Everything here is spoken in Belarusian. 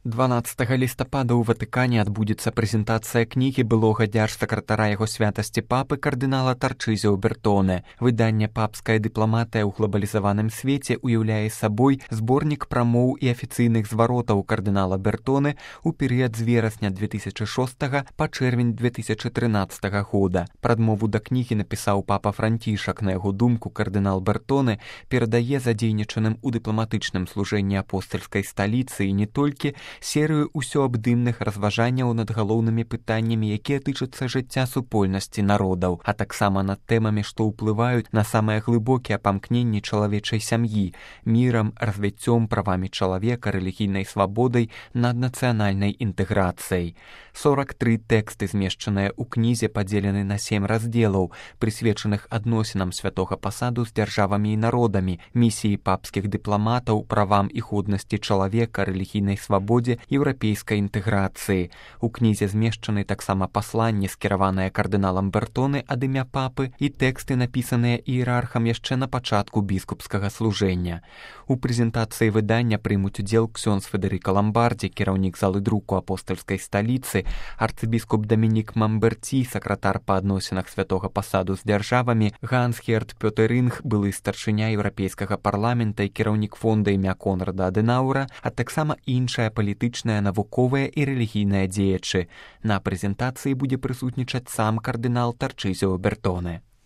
12 лістапада ў Ватыкане адбудзецца прэзентацыя кнігі былога дзяржсакратара яго святасці папы кардынала Тарчызіо Бертоне. Выданне «Папская дыпламатыя ў глобалізаваным свеце» уяўляе сабой зборнік прамоў і афіцыйных зваротаў кардынала Бертоне ў перыяд з верасня 2006 па чэрвень 2013 года. Прадмову да кнігі напісаў папа Францішак. На яго думку, кардынал Бертоне перадае задзейнічаным у дыпламатычным служэнні апостальскай сталіцы і не толькі серыю усёабдымных разважанняў над галоўнымі пытаннямі, якія тычацца жыцця супольнасці народаў, а таксама над тэмамі, што ўплываюць на самыя глыбокія памкненні чалавечай сям'і, мірам, развіццём, правамі чалавека, рэлігійнай свабодай, наднацыянальнай інтэграцыяй. 43 тэксты, змешчаныя ў кнізе, падзелены на 7 раздзелаў, прысвечаных адносінам святога пасаду з дзяржавамі і народамі, місіі папскіх дыпламатаў, правам і годнасці чалавека, рэлігійнай свабодзе, еўрапейскай інтэграцыі. У кнізе змешчаны таксама пасланні, скіраваныя кардыналам Бертоне ад імя папы, і тэксты, напісаныя іерархам яшчэ на пачатку біскупскага служэння. У прэзентацыі выдання прымуць удзел ксёндз Федэрыка Ламбардзі, кіраўнік залы друку апостальскай сталіцы, арцыбіскуп Дамінік Мамберці, сакратар па адносінах святога пасаду з дзяржавамі, Ганс-Герт Пётеринг, былы старшыня еўрапейскага парламента і кіраўнік фонда імя Конрада Адэнаўра, а таксама іншыя палітычныя, навуковыя і рэлігійныя дзеячы. На прэзентацыі будзе прысутнічаць сам кардынал Тарчызіо Бертоне.